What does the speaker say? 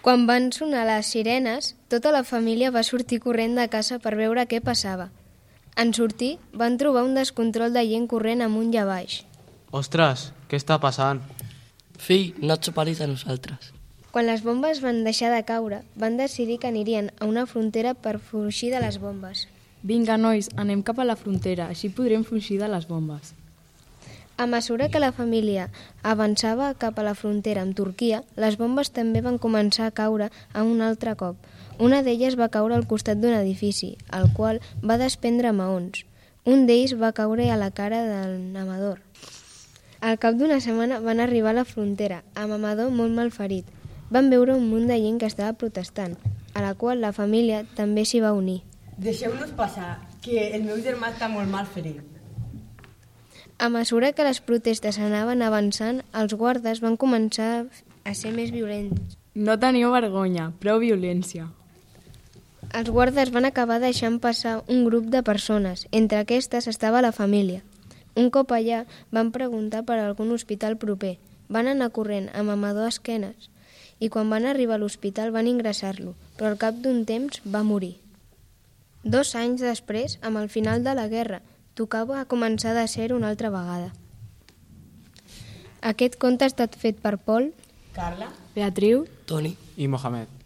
Quan van sonar les sirenes, tota la família va sortir corrent de casa per veure què passava. En sortir, van trobar un descontrol de gent corrent amunt i avall. Ostres, què està passant? Fill, no et separis de nosaltres. Quan les bombes van deixar de caure, van decidir que anirien a una frontera per fugir de les bombes. Vinga, nois, anem cap a la frontera, així podrem fugir de les bombes. A mesura que la família avançava cap a la frontera amb Turquia, les bombes també van començar a caure a un altre cop. Una d'elles va caure al costat d'un edifici, el qual va desprendre maons. Un d'ells va caure a la cara del Amador. Al cap d'una setmana van arribar a la frontera, amb Amador molt malferit. Van veure un munt de gent que estava protestant, a la qual la família també s'hi va unir. Deixeu-nos passar, que el meu germà està molt malferit. A mesura que les protestes anaven avançant, els guardes van començar a ser més violents. No teniu vergonya, prou violència. Els guardes van acabar deixant passar un grup de persones. Entre aquestes estava la família. Un cop allà, van preguntar per algun hospital proper. Van anar corrent amb Amador a esquenes i quan van arribar a l'hospital van ingressar-lo, però al cap d'un temps va morir. 2 anys després, amb el final de la guerra, tocava començar de ser una altra vegada. Aquest conte ha estat fet per Pol, Carla, Beatriu, Toni. I Mohamed.